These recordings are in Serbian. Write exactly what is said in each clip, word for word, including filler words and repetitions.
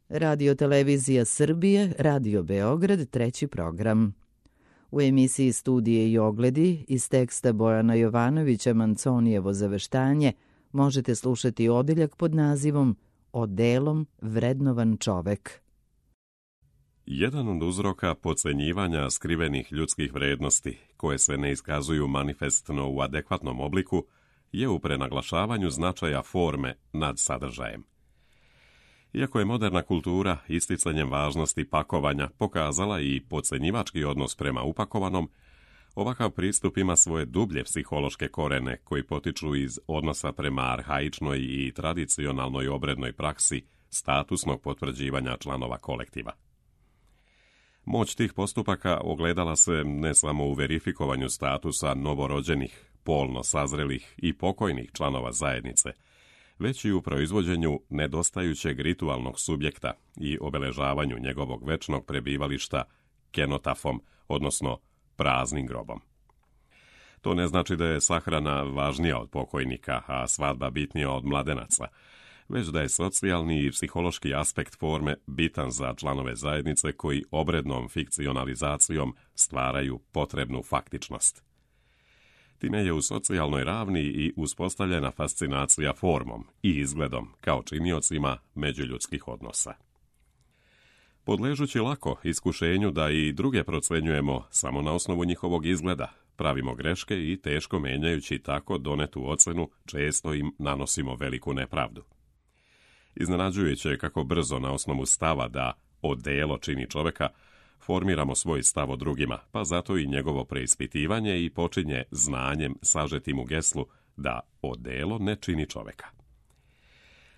Radio Televizija Srbije, Radio Beograd, treći program. U emisiji Studije i ogledi iz teksta Bojana Jovanovića Manconijevo zaveštanje možete slušati odeljak pod nazivom Odelom vrednovan čovek. Jedan od uzroka podcenjivanja skrivenih ljudskih vrednosti, koje se ne iskazuju manifestno u adekvatnom obliku, je u prenaglašavanju značaja forme nad sadržajem. Iako je moderna kultura isticanjem važnosti pakovanja pokazala i podcenjivački odnos prema upakovanom, ovakav pristup ima svoje dublje psihološke korene koji potiču iz odnosa prema arhaičnoj i tradicionalnoj obrednoj praksi statusnog potvrđivanja članova kolektiva. Moć tih postupaka ogledala se ne samo u verifikovanju statusa novorođenih, polno sazrelih i pokojnih članova zajednice, već i u proizvođenju nedostajućeg ritualnog subjekta i obeležavanju njegovog večnog prebivališta kenotafom, odnosno praznim grobom. To ne znači da je sahrana važnija od pokojnika, a svadba bitnija od mladenaca, već da je socijalni i psihološki aspekt forme bitan za članove zajednice koji obrednom fikcionalizacijom stvaraju potrebnu faktičnost. Time je u socijalnoj ravni i uspostavljena fascinacija formom i izgledom kao činiocima međuljudskih odnosa. Podležući lako iskušenju da i druge procenjujemo samo na osnovu njihovog izgleda, pravimo greške i teško menjajući tako donetu ocenu često im nanosimo veliku nepravdu. Iznenađujuće je kako brzo na osnovu stava da odelo čini čoveka formiramo svoj stav o drugima, pa zato i njegovo preispitivanje i počinje znanjem sažetim u geslu da odelo ne čini čoveka.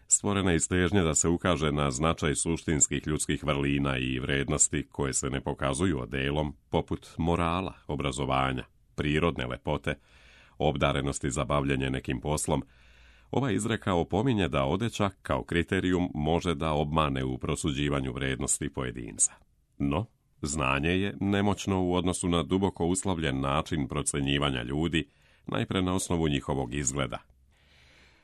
Stvorena je stežnja da se ukaže na značaj suštinskih ljudskih vrlina i vrednosti koje se ne pokazuju odelom, poput morala, obrazovanja, prirodne lepote, obdarenosti za bavljenje nekim poslom. Ova izreka opominje da odeća kao kriterijum može da obmane u prosuđivanju vrednosti pojedinca. No, znanje je nemoćno u odnosu na duboko uslovljen način procenjivanja ljudi, najpre na osnovu njihovog izgleda.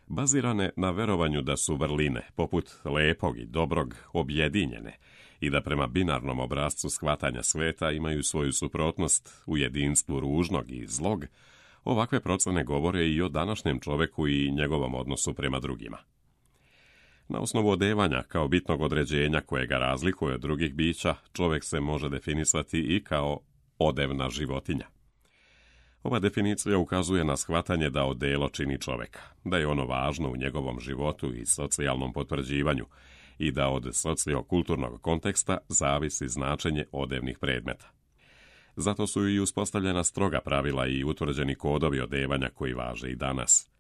Bazirane na verovanju da su vrline, poput lepog i dobrog, objedinjene i da prema binarnom obrascu shvatanja sveta imaju svoju suprotnost u jedinstvu ružnog i zlog, ovakve procene govore i o današnjem čoveku i njegovom odnosu prema drugima. Na osnovu odevanja kao bitnog određenja koje ga razlikuje od drugih bića, čovek se može definisati i kao odevna životinja. Ova definicija ukazuje na shvatanje da odelo čini čoveka, da je ono važno u njegovom životu i socijalnom potvrđivanju i da od sociokulturnog konteksta zavisi značenje odevnih predmeta. Zato su i uspostavljena stroga pravila i utvrđeni kodovi odevanja koji važe i danas.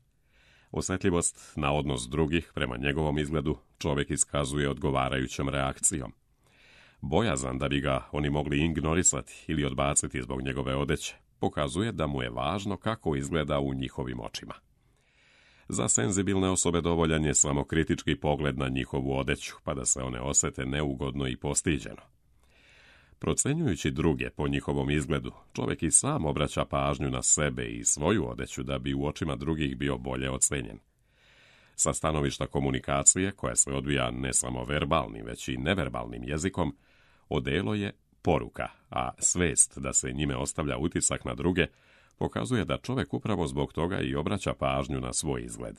Osjetljivost na odnos drugih prema njegovom izgledu čovjek iskazuje odgovarajućom reakcijom. Bojazan da bi ga oni mogli ignorisati ili odbaciti zbog njegove odeće pokazuje da mu je važno kako izgleda u njihovim očima. Za senzibilne osobe dovoljan je samo kritički pogled na njihovu odeću, pa da se one osete neugodno i postiđeno. Procenjujući druge po njihovom izgledu, čovjek i sam obraća pažnju na sebe i svoju odeću da bi u očima drugih bio bolje ocenjen. Sa stanovišta komunikacije, koja se odvija ne samo verbalnim, već i neverbalnim jezikom, odelo je poruka, a svest da se njime ostavlja utisak na druge pokazuje da čovjek upravo zbog toga i obraća pažnju na svoj izgled.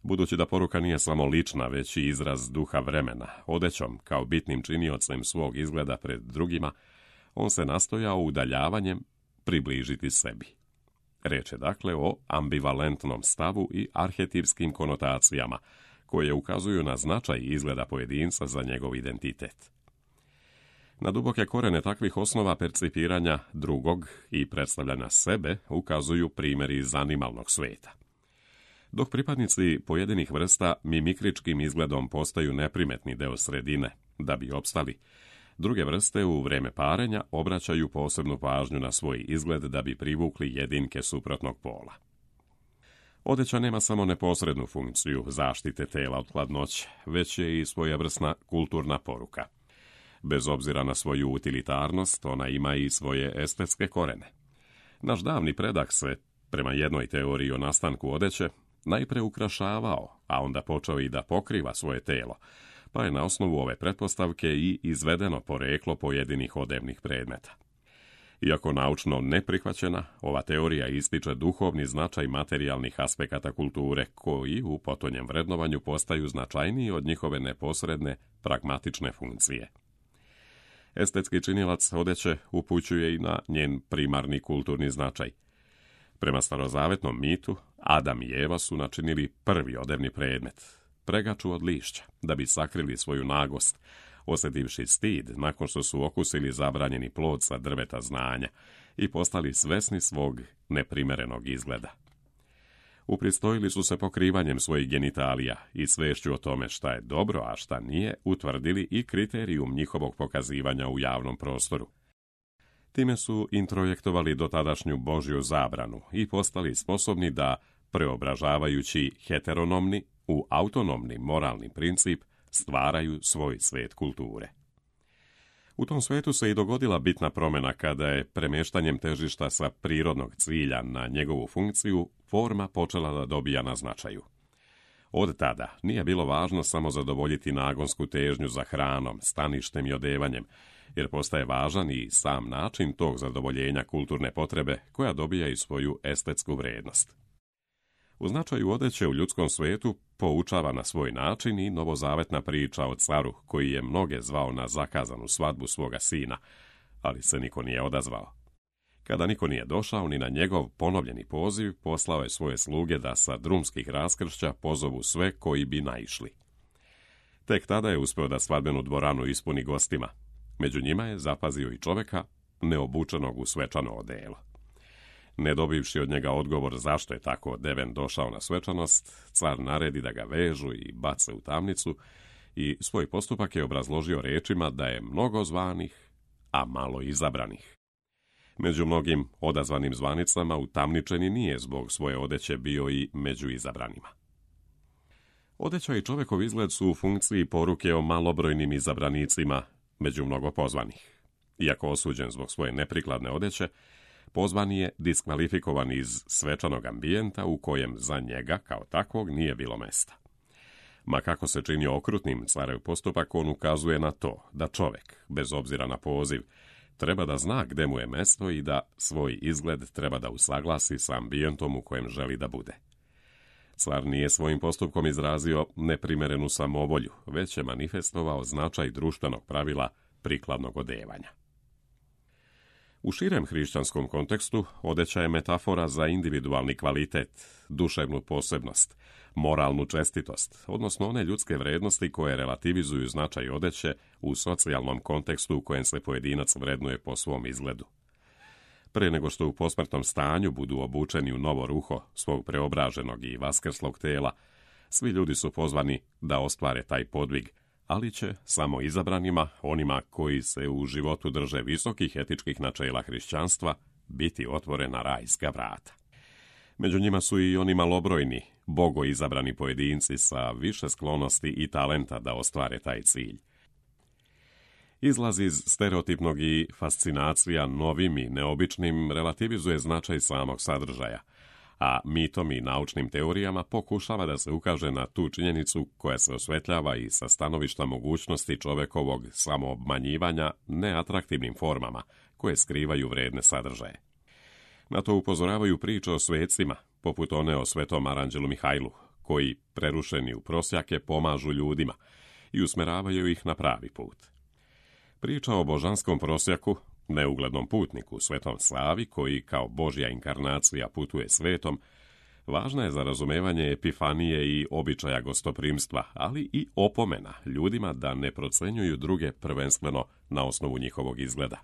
Budući da poruka nije samo lična, već i izraz duha vremena, odećom kao bitnim činiocem svog izgleda pred drugima, on se nastojao udaljavanjem približiti sebi. Reč je dakle o ambivalentnom stavu i arhetipskim konotacijama, koje ukazuju na značaj izgleda pojedinca za njegov identitet. Na duboke korene takvih osnova percipiranja drugog i predstavljanja sebe ukazuju primjeri iz animalnog sveta. Dok pripadnici pojedinih vrsta mimikričkim izgledom postaju neprimetni deo sredine da bi opstali, druge vrste u vreme parenja obraćaju posebnu pažnju na svoj izgled da bi privukli jedinke suprotnog pola. Odeća nema samo neposrednu funkciju zaštite tela od hladnoće, već je i svojevrsna kulturna poruka. Bez obzira na svoju utilitarnost, ona ima i svoje estetske korene. Naš davni predak se, prema jednoj teoriji o nastanku odeće, najpre ukrašavao, a onda počeo i da pokriva svoje telo, pa je na osnovu ove pretpostavke i izvedeno poreklo pojedinih odevnih predmeta. Iako naučno neprihvaćena, ova teorija ističe duhovni značaj materijalnih aspekata kulture, koji u potonjem vrednovanju postaju značajniji od njihove neposredne, pragmatične funkcije. Estetski činilac odeće upućuje i na njen primarni kulturni značaj. Prema starozavetnom mitu, Adam i Eva su načinili prvi odevni predmet, pregaču od lišća, da bi sakrili svoju nagost, osjetivši stid nakon što su okusili zabranjeni plod sa drveta znanja i postali svesni svog neprimerenog izgleda. Upristojili su se pokrivanjem svojih genitalija i svešću o tome šta je dobro, a šta nije, utvrdili i kriterijum njihovog pokazivanja u javnom prostoru. Time su introjektovali dotadašnju Božju zabranu i postali sposobni da, preobražavajući heteronomni u autonomni moralni princip, stvaraju svoj svet kulture. U tom svetu se i dogodila bitna promjena kada je premještanjem težišta sa prirodnog cilja na njegovu funkciju forma počela da dobija na značaju. Od tada nije bilo važno samo zadovoljiti nagonsku težnju za hranom, staništem i odevanjem, jer postaje važan i sam način tog zadovoljenja kulturne potrebe koja dobija i svoju estetsku vrednost. U značaju odeće u ljudskom svetu poučava na svoj način i novozavetna priča o caru koji je mnoge zvao na zakazanu svadbu svoga sina, ali se niko nije odazvao. Kada niko nije došao ni na njegov ponovljeni poziv, poslao je svoje sluge da sa drumskih raskršća pozovu sve koji bi naišli. Tek tada je uspeo da svadbenu dvoranu ispuni gostima. Među njima je zapazio i čoveka neobučenog u svečano odelo. Ne dobivši od njega odgovor zašto je tako odeven došao na svečanost, car naredi da ga vežu i bace u tamnicu i svoj postupak je obrazložio rečima da je mnogo zvanih, a malo izabranih. Među mnogim odazvanim zvanicama utamničeni nije zbog svoje odeće bio i među izabranima. Odeća i čovekov izgled su u funkciji poruke o malobrojnim izabranicima među mnogo pozvanih. Iako osuđen zbog svoje neprikladne odeće, pozvani je diskvalifikovan iz svečanog ambijenta u kojem za njega kao takvog nije bilo mesta. Ma kako se čini okrutnim carev postupak, on ukazuje na to da čovek, bez obzira na poziv, treba da zna gde mu je mesto i da svoj izgled treba da usaglasi sa ambijentom u kojem želi da bude. Car nije svojim postupkom izrazio neprimerenu samovolju, već je manifestovao značaj društvenog pravila prikladnog odevanja. U širem hrišćanskom kontekstu odeća je metafora za individualni kvalitet, duševnu posebnost, moralnu čestitost, odnosno one ljudske vrednosti koje relativizuju značaj odeće u socijalnom kontekstu u kojem se pojedinac vrednuje po svom izgledu. Pre nego što u posmrtnom stanju budu obučeni u novo ruho svog preobraženog i vaskrslog tela, svi ljudi su pozvani da ostvare taj podvig, ali će samo izabranima, onima koji se u životu drže visokih etičkih načela hrišćanstva, biti otvorena rajska vrata. Među njima su i oni malobrojni, bogo izabrani pojedinci sa više sklonosti i talenta da ostvare taj cilj. Izlaz iz stereotipnog i fascinacija novim i neobičnim relativizuje značaj samog sadržaja, a mitom i naučnim teorijama pokušava da se ukaže na tu činjenicu koja se osvetljava i sa stanovišta mogućnosti čovekovog samoobmanjivanja neatraktivnim formama koje skrivaju vredne sadržaje. Na to upozoravaju priče o svecima, poput one o svetom aranđelu Mihajlu, koji, prerušeni u prosjake, pomažu ljudima i usmeravaju ih na pravi put. Priča o božanskom prosjaku, neuglednom putniku, svetom Savi, koji kao Božja inkarnacija putuje svetom, važna je za razumevanje epifanije i običaja gostoprimstva, ali i opomena ljudima da ne procenjuju druge prvenstveno na osnovu njihovog izgleda.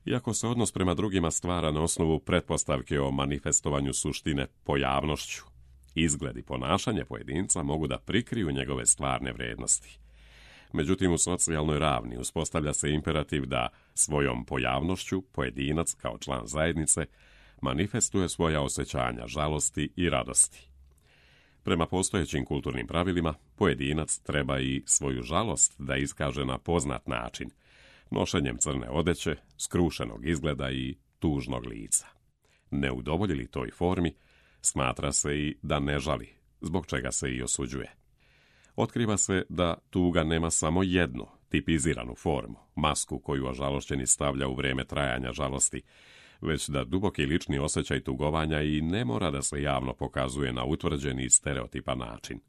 Iako se odnos prema drugima stvara na osnovu pretpostavke o manifestovanju suštine pojavnošću, izgled i ponašanje pojedinca mogu da prikriju njegove stvarne vrednosti. Međutim, u socijalnoj ravni uspostavlja se imperativ da svojom pojavnošću pojedinac kao član zajednice manifestuje svoja osjećanja žalosti i radosti. Prema postojećim kulturnim pravilima, pojedinac treba i svoju žalost da iskaže na poznat način, nošenjem crne odeće, skrušenog izgleda i tužnog lica. Ne udovolji li toj formi, smatra se i da ne žali, zbog čega se i osuđuje. Otkriva se da tuga nema samo jednu tipiziranu formu, masku koju ožalošćeni stavlja u vrijeme trajanja žalosti, već da duboki lični osjećaj tugovanja i ne mora da se javno pokazuje na utvrđeni i stereotipan način.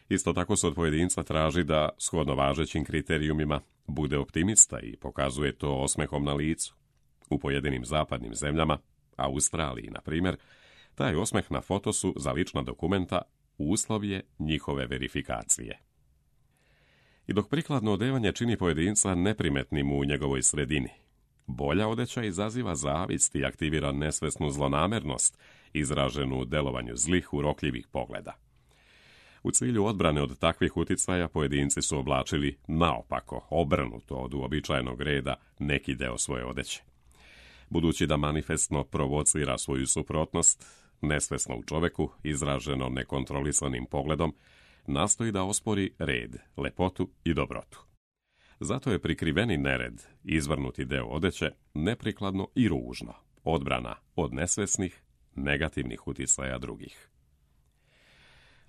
Isto tako se od pojedinca traži da, shodno važećim kriterijumima, bude optimista i pokazuje to osmehom na licu. U pojedinim zapadnim zemljama, Australiji, na primjer, taj osmeh na fotosu za lična dokumenta uslov je njihove verifikacije. I dok prikladno odevanje čini pojedinca neprimetnim u njegovoj sredini, bolja odeća izaziva zavist i aktivira nesvesnu zlonamernost, izraženu u delovanju zlih, urokljivih pogleda. U cilju odbrane od takvih uticaja pojedinci su oblačili naopako, obrnuto od uobičajenog reda, neki deo svoje odeće. Budući da manifestno provocira svoju suprotnost, nesvesno u čoveku, izraženo nekontrolisanim pogledom, nastoji da ospori red, lepotu i dobrotu. Zato je prikriveni nered, izvrnuti deo odeće, neprikladno i ružno, odbrana od nesvesnih, negativnih uticaja drugih.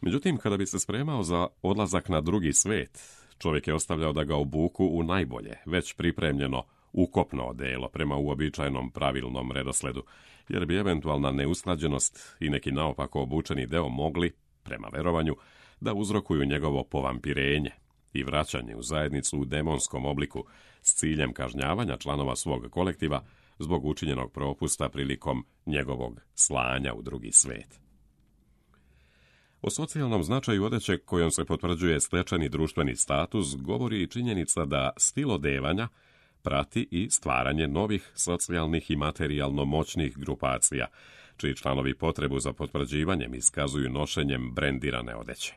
Međutim, kada bi se spremao za odlazak na drugi svet, čovjek je ostavljao da ga obuku u najbolje, već pripremljeno, ukopno odelo prema uobičajenom pravilnom redosledu, jer bi eventualna neusklađenost i neki naopako obučeni deo mogli, prema verovanju, da uzrokuju njegovo povampirenje i vraćanje u zajednicu u demonskom obliku s ciljem kažnjavanja članova svog kolektiva zbog učinjenog propusta prilikom njegovog slanja u drugi svet. O socijalnom značaju odeće kojom se potvrđuje stečeni društveni status govori i činjenica da stil odevanja prati i stvaranje novih socijalnih i materijalno moćnih grupacija, čiji članovi potrebu za potvrđivanjem iskazuju nošenjem brendirane odeće.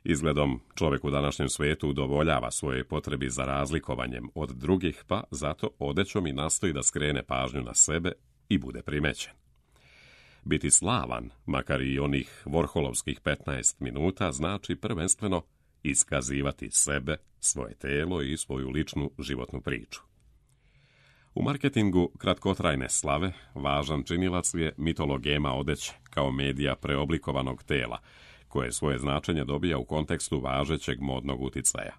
Izgledom, čovjek u današnjem svijetu udovoljava svoje potrebi za razlikovanjem od drugih, pa zato odećom i nastoji da skrene pažnju na sebe i bude primećen. Biti slavan, makar i onih vorholovskih petnaest minuta, znači prvenstveno iskazivati sebe, svoje telo i svoju ličnu životnu priču. U marketingu kratkotrajne slave važan činilac je mitologema odeće kao medija preoblikovanog tela, koje svoje značenje dobija u kontekstu važećeg modnog uticaja.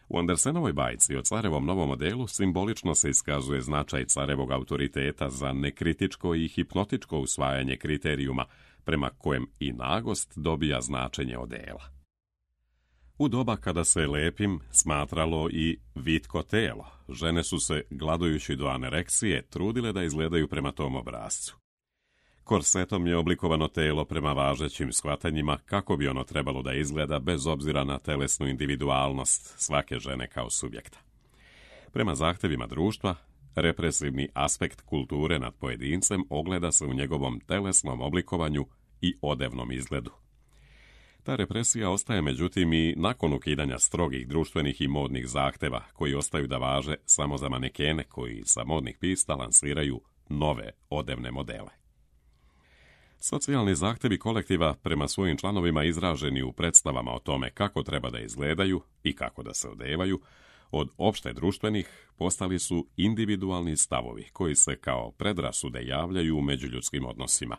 U Andersenovoj bajci o carevom novom modelu simbolično se iskazuje značaj carevog autoriteta za nekritičko i hipnotičko usvajanje kriterijuma prema kojem i nagost dobija značenje odela. U doba kada se lepim smatralo i vitko telo, žene su se, gladujući do anoreksije, trudile da izgledaju prema tom obrascu. Korsetom je oblikovano telo prema važećim shvatanjima kako bi ono trebalo da izgleda bez obzira na telesnu individualnost svake žene kao subjekta. Prema zahtevima društva, represivni aspekt kulture nad pojedincem ogleda se u njegovom telesnom oblikovanju i odevnom izgledu. Ta represija ostaje međutim i nakon ukidanja strogih društvenih i modnih zahteva koji ostaju da važe samo za manekene koji sa modnih pista lansiraju nove odevne modele. Socijalni zahtevi kolektiva prema svojim članovima izraženi u predstavama o tome kako treba da izgledaju i kako da se odevaju, od opšte društvenih postali su individualni stavovi koji se kao predrasude javljaju u međuljudskim odnosima.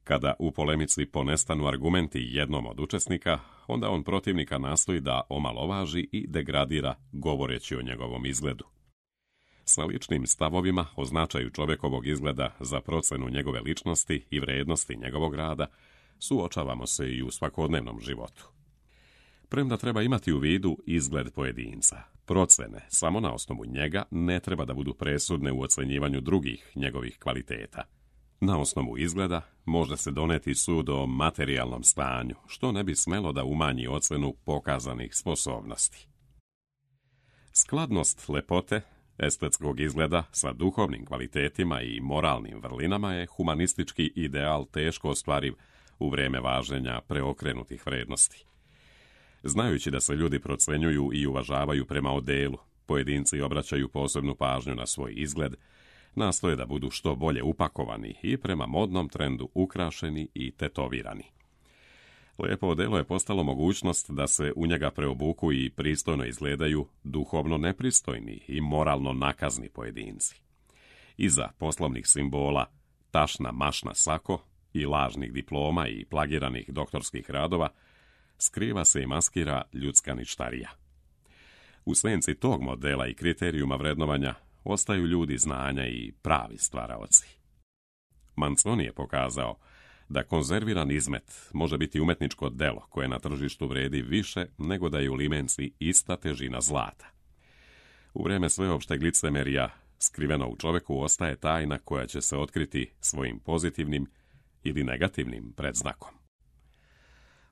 Kada u polemici ponestanu argumenti jednom od učesnika, onda on protivnika nastoji da omalovaži i degradira govoreći o njegovom izgledu. Sa ličnim stavovima o značaju čovjekovog izgleda za procenu njegove ličnosti i vrednosti njegovog rada suočavamo se i u svakodnevnom životu. Premda treba imati u vidu izgled pojedinca, procene samo na osnovu njega ne treba da budu presudne u ocenjivanju drugih njegovih kvaliteta. Na osnovu izgleda može se doneti sud o materijalnom stanju, što ne bi smelo da umanji ocenu pokazanih sposobnosti. Skladnost lepote, estetskog izgleda sa duhovnim kvalitetima i moralnim vrlinama je humanistički ideal teško ostvariv u vrijeme važenja preokrenutih vrednosti. Znajući da se ljudi procenjuju i uvažavaju prema odelu, pojedinci obraćaju posebnu pažnju na svoj izgled, nastoje da budu što bolje upakovani i prema modnom trendu ukrašeni i tetovirani. Lijepo odelo je postalo mogućnost da se u njega preobuku i pristojno izgledaju duhovno nepristojni i moralno nakazni pojedinci. Iza poslovnih simbola, tašna mašna sako i lažnih diploma i plagiranih doktorskih radova skriva se i maskira ljudska ništarija. U senci tog modela i kriterijuma vrednovanja ostaju ljudi znanja i pravi stvaraoci. Manzoni je pokazao da konzerviran izmet može biti umetničko delo koje na tržištu vredi više nego da je u limenci ista težina zlata. U vreme sveopšteg licemerija skriveno u čoveku ostaje tajna koja će se otkriti svojim pozitivnim ili negativnim predznakom.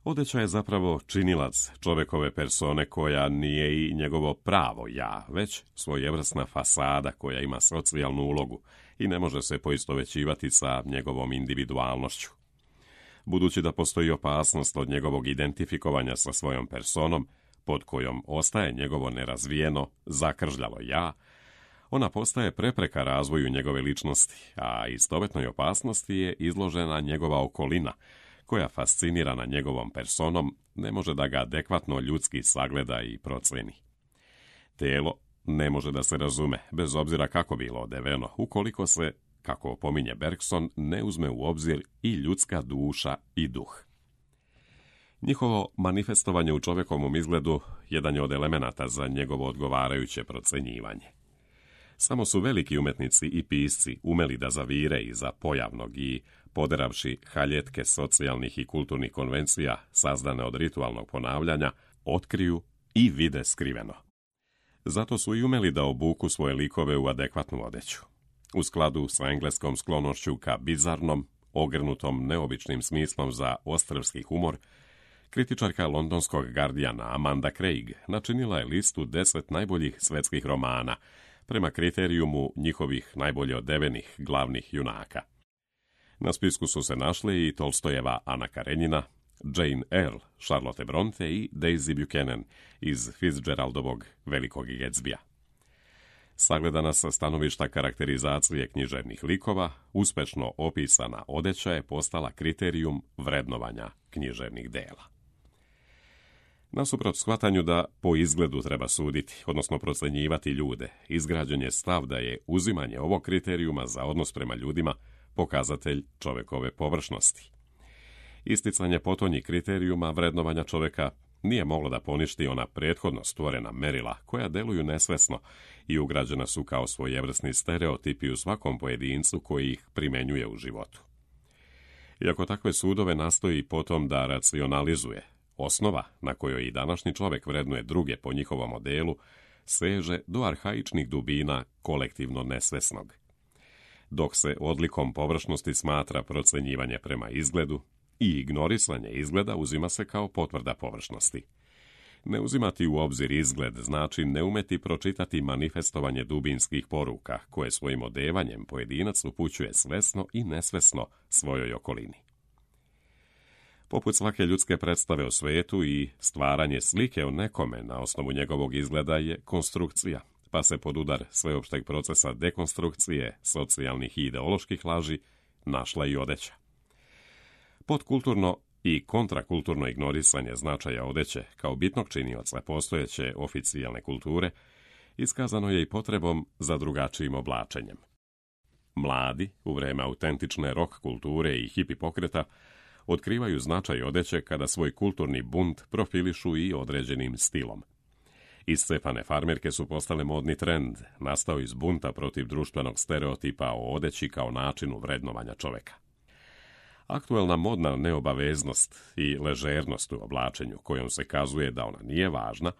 Odeća je zapravo činilac čovekove persone koja nije i njegovo pravo ja, već svojevrsna fasada koja ima socijalnu ulogu i ne može se poistovećivati sa njegovom individualnošću. Budući da postoji opasnost od njegovog identifikovanja sa svojom personom, pod kojom ostaje njegovo nerazvijeno, zakržljalo ja, ona postaje prepreka razvoju njegove ličnosti, a istovetnoj opasnosti je izložena njegova okolina, koja fascinirana njegovom personom ne može da ga adekvatno ljudski sagleda i proceni. Telo ne može da se razume, bez obzira kako bilo odeveno, ukoliko se, kako opominje Bergson, ne uzme u obzir i ljudska duša i duh. Njihovo manifestovanje u čovekovom izgledu jedan je od elemenata za njegovo odgovarajuće procenjivanje. Samo su veliki umetnici i pisci umeli da zavire iza pojavnog i, poderavši haljetke socijalnih i kulturnih konvencija sazdane od ritualnog ponavljanja, otkriju i vide skriveno. Zato su i umeli da obuku svoje likove u adekvatnu odeću. U skladu sa engleskom sklonošću ka bizarnom, ogrnutom neobičnim smislom za ostrvski humor, kritičarka londonskog Guardiana Amanda Craig načinila je listu deset najboljih svetskih romana, prema kriterijumu njihovih najbolje odevenih glavnih junaka. Na spisku su se našli i Tolstojeva Ana Karenjina, Jane Eyre, Charlotte Bronte i Daisy Buchanan iz Fitzgeraldovog Velikog Gatsbya. Sagledana sa stanovišta karakterizacije književnih likova, uspešno opisana odeća je postala kriterijum vrednovanja književnih dela. Nasuprot shvatanju da po izgledu treba suditi, odnosno procenjivati ljude, izgrađen je stav da je uzimanje ovog kriterijuma za odnos prema ljudima pokazatelj čovekove površnosti. Isticanje potonjih kriterijuma vrednovanja čoveka nije moglo da poništi ona prethodno stvorena merila koja deluju nesvesno i ugrađena su kao svojevrsni stereotipi u svakom pojedincu koji ih primenjuje u životu. Iako takve sudove nastoji potom da racionalizuje, osnova na kojoj i današnji čovek vrednuje druge po njihovom modelu seže do arhaičnih dubina kolektivno nesvesnog. Dok se odlikom površnosti smatra procenjivanje prema izgledu i ignorisanje izgleda uzima se kao potvrda površnosti. Ne uzimati u obzir izgled znači ne umeti pročitati manifestovanje dubinskih poruka koje svojim odevanjem pojedinac upućuje svesno i nesvesno svojoj okolini. Poput svake ljudske predstave o svetu i stvaranje slike o nekome na osnovu njegovog izgleda je konstrukcija, pa se pod udar sveopšteg procesa dekonstrukcije, socijalnih i ideoloških laži našla i odeća. Podkulturno i kontrakulturno ignorisanje značaja odeće kao bitnog činioca postojeće oficijalne kulture iskazano je i potrebom za drugačijim oblačenjem. Mladi, u vreme autentične rock kulture i hipi pokreta, otkrivaju značaj odeće kada svoj kulturni bunt profilišu i određenim stilom. Iscepane farmerke su postale modni trend, nastao iz bunta protiv društvenog stereotipa o odeći kao načinu vrednovanja čoveka. Aktuelna modna neobaveznost i ležernost u oblačenju, kojom se kazuje da ona nije važna,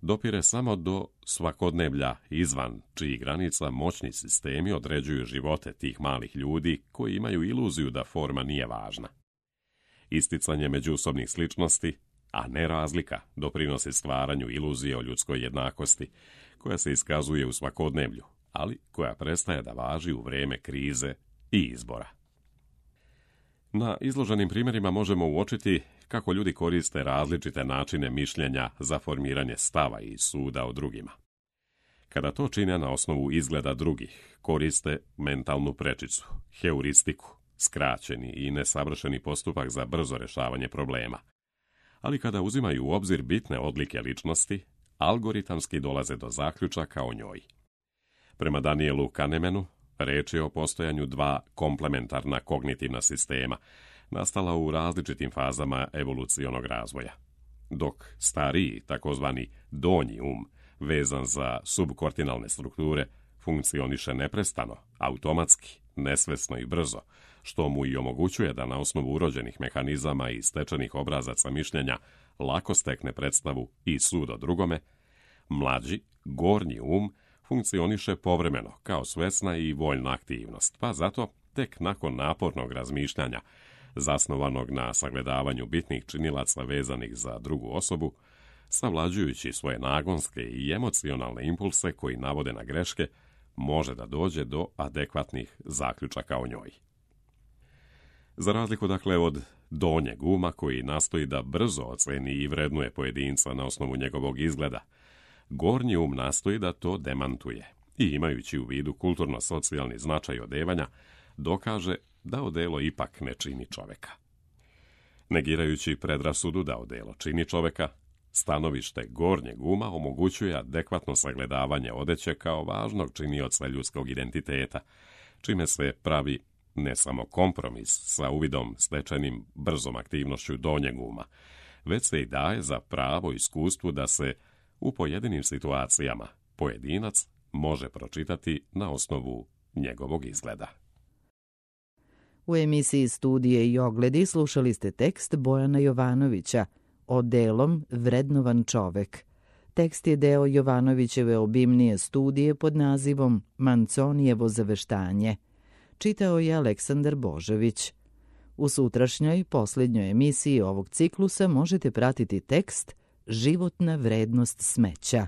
dopire samo do svakodnevlja izvan čijih granica moćni sistemi određuju živote tih malih ljudi koji imaju iluziju da forma nije važna. Isticanje međusobnih sličnosti, a ne razlika, doprinosi stvaranju iluzije o ljudskoj jednakosti, koja se iskazuje u svakodnevlju, ali koja prestaje da važi u vreme krize i izbora. Na izloženim primjerima možemo uočiti kako ljudi koriste različite načine mišljenja za formiranje stava i suda o drugima. Kada to čine na osnovu izgleda drugih, koriste mentalnu prečicu, heuristiku, skraćeni i nesavršeni postupak za brzo rešavanje problema. Ali kada uzimaju u obzir bitne odlike ličnosti, algoritamski dolaze do zaključaka o njoj. Prema Danielu Kahnemanu, reč je o postojanju dva komplementarna kognitivna sistema, nastala u različitim fazama evolucionog razvoja. dok stariji, takozvani donji um, vezan za subkortinalne strukture, funkcioniše neprestano, automatski, nesvesno i brzo, što mu i omogućuje da na osnovu urođenih mehanizama i stečenih obrazaca mišljenja lako stekne predstavu i sud o drugome, mlađi, gornji um, funkcioniše povremeno kao svesna i voljna aktivnost, pa zato tek nakon napornog razmišljanja, zasnovanog na sagledavanju bitnih činilaca vezanih za drugu osobu, savlađujući svoje nagonske i emocionalne impulse koji navode na greške, može da dođe do adekvatnih zaključaka o njoj. Za razliku dakle od donjeg uma koji nastoji da brzo oceni i vrednuje pojedinca na osnovu njegovog izgleda, gornji um nastoji da to demantuje i imajući u vidu kulturno-socijalni značaj odevanja, dokaže da odelo ipak ne čini čoveka. Negirajući predrasudu da odelo čini čoveka, stanovište gornjeg uma omogućuje adekvatno sagledavanje odeće kao važnog činioca ljudskog identiteta, čime se pravi ne samo kompromis sa uvidom stečenim brzom aktivnošću donjeg uma, već se i daje za pravo iskustvu da se u pojedinim situacijama pojedinac može pročitati na osnovu njegovog izgleda. U emisiji Studije i ogledi slušali ste tekst Bojana Jovanovića Odelom vrednovan čovek. Tekst je deo Jovanovićeve obimnije studije pod nazivom Manconijevo zaveštanje. Čitao je Aleksandar Božović. U sutrašnjoj, posljednjoj emisiji ovog ciklusa možete pratiti tekst Životna vrednost smeća.